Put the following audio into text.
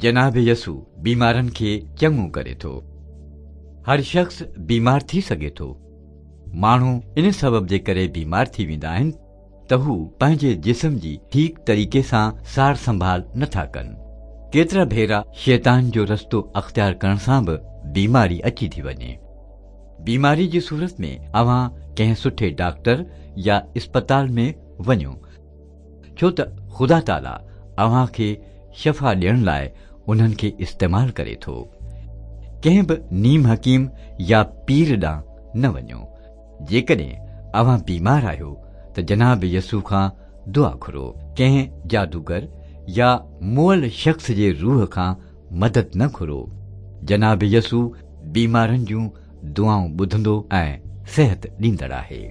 جناب يسوع بيمارن کي چڱو ڪري ٿو. هر شخص بيمار ٿي سگهي ٿو. ماڻهو ان سبب جي ڪري بيمار ٿي ويندا آهن ته هو پنهنجي جسم جي ٺيڪ طريقي سان سار سنڀال نٿا ڪن. ڪيترا ڀيرا شيطان جو رستو اختيار ڪرڻ سان به بيماري اچي ٿي وڃي. بيماري جي صورت ۾ اوهان ڪنهن سٺي ڊاڪٽر يا اسپتال ۾ وڃو، ڇو ته خدا تعاليٰ اوهان کي شفا ڏيڻ لاء انهن کي استعمال ڪري ٿو. ڪنهن به نيم حڪيم يا پير ڏانهن نه وڃو. جيڪڏهن اوهان بيمار آهيو ته جناب يسوع کان دعا گهرو. ڪنهن جادوگر يا مئل شخص جي روح کان مدد نه گهرو. جناب يسوع بيمارن جون دعائون ٻڌندو ۽ صحت ڏيندڙ آهي.